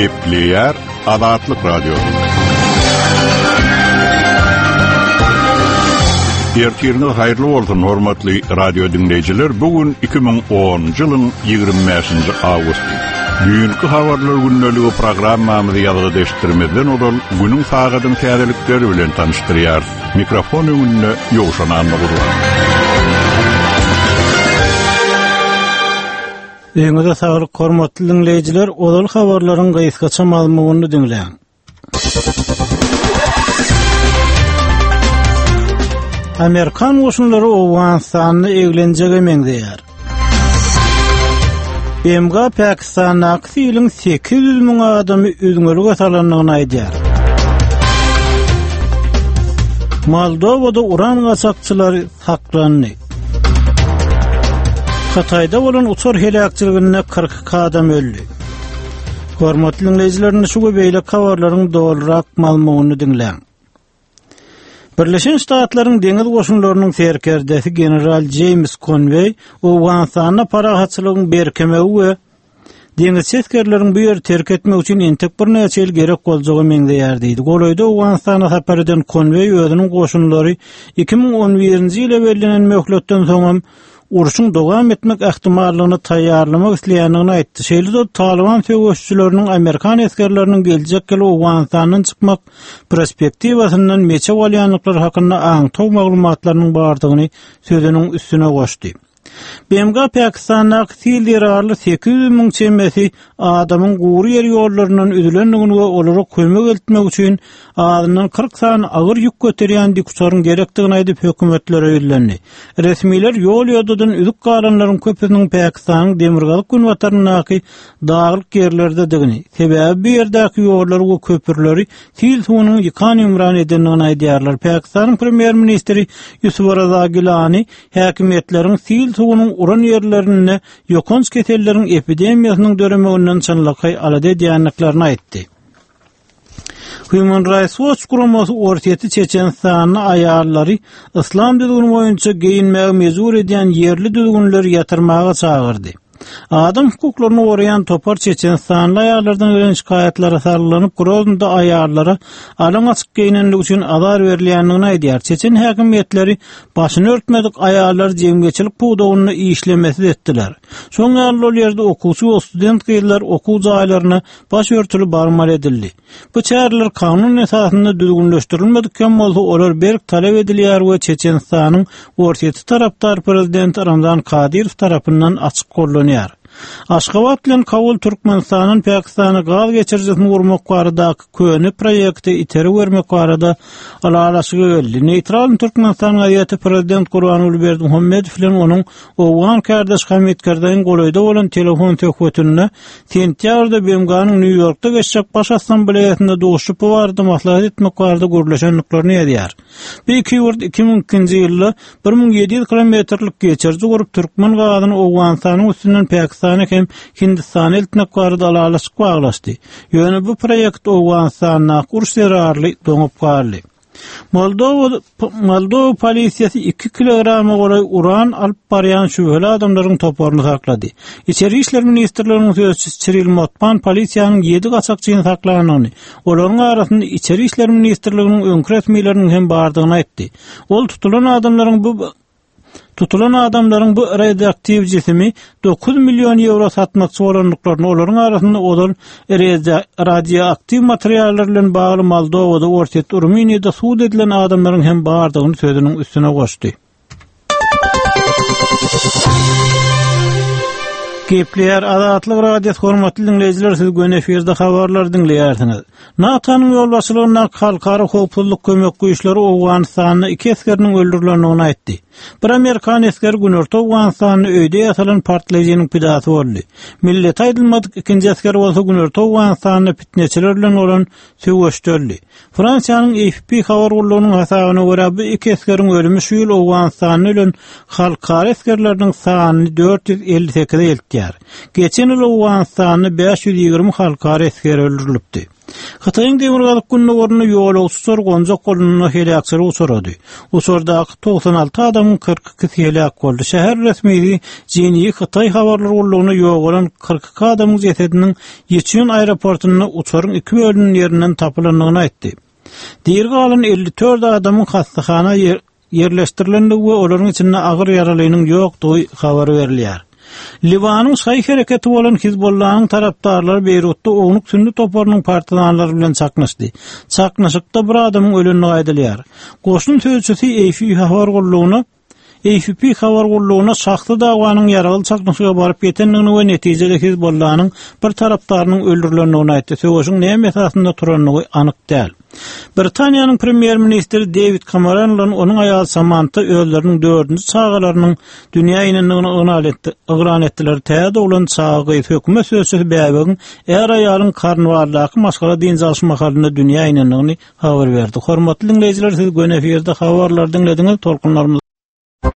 Gepleýär Azatlyk Radiosy. Ertiriňiz haýyrly bolsun, hormatly radio diňleýjiler. Bu gün 2010-njy ýylyň 25-nji awgusty. Düýnki habarlar gündeligi programmamyzy ýazgyda eşitdirmezden ozal günüň sagadyň täzelikleri bilen tanyşdyrýarys. Mikrofon öňünde Ýowşan Annagurban. Öýüňize saglyk hormatly diňleýjiler, ozal habarlaryň gysgaça mazmunyny diňläň. Amerikan goşunlary Owganystanda eglenjege meňzeýär. BMG Pakistandaky siliň 800 müň adamy üzňelige salandygyny aýdýar. Moldowada uran gaçakçylary saklandy. Hytaýda bolan uçar heläkçiliginde 42 adam öldi. Hormatly diňleýjiler, indi şu we beýleki habarlaryň dolurak mazmunyny diňläň. Birleşen Ştatlaryň deňiz goşunlarynyň serkerdesi general Jeýms Konweý Owganystanda parahatçylygyň berkemegi we deňizçi esgerleriň bu ýeri terk etmegi üçin entek birnäçe ýyl gerek boljaga meňzeýär diýdi. Golaýda Owganystana sapar eden Konweý özüniň goşunlary 2011-nji ýyla bellenen möhletden soňam urşuň dowam etmek ähtimallygyny taýýarlamak isleýändigini aýtdy. Şeýle-de Talyban söweşijileriniň amerikan esgerleriniň geljek ýyl Owganystandan çykmak perspektiwasyndan meçew alýandyklary hakynda aňtaw maglumatlarynyň bardygyny sözüniň üstüne goşdy. BMG Pakistandaky sil zerarly 800 müň çemesi adamyň gury ýer ýollaryndan üzülendigini we olara kömek eltmek üçin azyndan 40 sany agyr ýük göterýän dikuçaryň gerekdigini aýdyp, hökümetlere ýüzlendi. Resmiler ýol-ýodadan üzük galanlaryň köpüsiniň Pakistanyň demirgazyk-günbataryndaky daglyk ýerlerdedigini, sebäbi bu ýerdäki ýollary we köprüleri sil suwunyň ýykan-ýumran edendigini aýdýarlar. Pakistanyň premýer-ministri Ýusuf Raza Gilani häkimiýetleriň sil suwunyň uran ýerlerinde ýokanç keselleriň epidemiýasynyň döremeginden çynlakaý alada edýändiklerini aýtdy. Human Rights Watch guramasy Orsýeti Çeçenistanda aýallary yslam düzgüni boýunça geýinmäge mejbur edýän ýerli düzgünleri ýatyrmaga çagyrdy. Adam hukuklaryny goraýan topar çeçenistanly aýallardan gelen şikaýatlara salgylanyp, Groznyda aýallara alaň-açyk geýnenligi üçin azar berilýändigini aýdýar. Çeçen häkimiýetleri başyny örtmedik aýallary jemgyýetçilik pudagynda işlemesiz etdiler. Şoň ýaly ol ýerde okuwçy we student gyzlar okuw jaýlaryna baş örtüli barmaly edildi. Bu çäreler kanun esasynda düzgünleşdirilmedik hem bolsa, olar berk talap edilýär we Çeçenistanyň Orsýeti tarapdar prezidenti Ramzan Kadyrow tarapyndan açyk gollanýar. Aşgabat bilen Kabul Türkmenistandan Pakistana gaz geçirijisini gurmak baradaky köne proýekte itergi bermek barada ylalaşyga geldi. Neýtral Türkmenistan gazeti prezident Gurbanguly Berdimuhamedow bilen onuň owgan kärdeşi Hamid Karzaýyň golaýda bolan telefon söhbetinde Sentýabrda BMG-niň Nýu-Ýorkda geçjek Baş Assambleýasynda duşuşyp bu barada maslahat etmek barada gürleşendiklerini ýazýar. Bu iki ýurt 2002-nji ýylda 1700 kilometrlik geçiriji gurup, türkmen gazyny Owganystanyň üstünden Pakistana hem Hindistana eltmek barada ylalaşyk baglaşdy. Ýöne bu proýekt Owganystandaky uruş zerarly doňup galdy. Moldowa Moldowa polisiýasy 2 kilograma golaý uran alyp barýan şübheli adamlaryň toparyny saklady. Içeri işler ministrliginiň sözçüsi Çiril Motpan polisiýanyň 7 gaçakçyny saklandygyny, olaryň arasynda Içeri işler ministrliginiň öňki resmileriniň hem bardygyny aýtdy. Ol tutulan adamlaryň bu Tutulan adamlaryň bu radioaktiw jisimi 9 million ýewro satmakçy bolandyklaryny, olaryň arasynda ozal radioaktiw materiallar bilen bagly Moldowada, Orsýetde, Rumyniýada sud edilen adamlaryň hem bardygyny sözüniň üstüne goşdy. Gepleýär Azatlyk Radiosy hormatly diňleýjiler siz göni efirde habarlary diňleýärsiňiz. NATO-nyň ýolbaşçylygyndaky Halkara howpsuzlyk kömek güýçleri Owganystanda iki esgeriniň öldürilendigini aýtdy. Bir amerikan esgeri Günorta Owganystanda öýde ýasalan partlaýjynyň pidasy boldy. Milleti aýdylmadyk ikinji esger bolsa Günorta Owganystanda pitneçiler bilen bolan söweşde öldi. Fransiýanyň AFP habar gullugynyň hasabyna görä, bu iki esgeriň ölümi şu ýyl Owganystanda ölen halkara esgerleriniň sanyny 458-e eltýär. Geçen ýyl Owganystanda 520 halkara esgeri öldürilipdi. Hytaýyň demirgazyk-gündogarynda ýolagçy uçar gonjak bolnanda heläkçilige uçrady. Uçardaky 96 adamyň 42-si heläk boldy. Şäher resmisi Jinyi Hytaý habarlar gullugyna ýogalan 42 adamyň jesediniň Ýiçun aeroportynda uçaryň iki bölünen ýerinden tapylandygyny aýtdy. Diri galan 54 adamyň hassahana ýerleşdirilendigi we olaryň içinde agyr ýaralynyň ýokdugy habar berilýär. Liwanyň şaýy hereketi bolan Hizbollanyň tarapdarlary Beýrutda ownuk sünni toparynyň partizanlary bilen çaknyşdy. Çaknyşykda bir adamyň ölendigi aýdylýar. Goşun sözçüsi AFP habar gullugyna AFP habar gullugyna şahsy dawanyň ýaragly çaknyşyga baryp ýetendigini we netijede Hizbollanyň bir tarapdarynyň öldürilendigini aýtdy. Söweşiň näme esasynda turandygy anyk däl. Britaniýanyň premýer-ministri Dewid Kameron bilen onuň aýaly Samanta özleriniň dördünji çagalarynyň dünýä inendigini yglan etdiler. Täze doglan çaga gyz hökümet sözçüsi bäbegiň är-aýalyň Kornwaldaky maşgala dynç alyş mahalynda dünýä inendigini habar berdi. Hormatly diňleýjiler, siz göni efirde habarlary diňlediňiz. Tolkunlarymyz.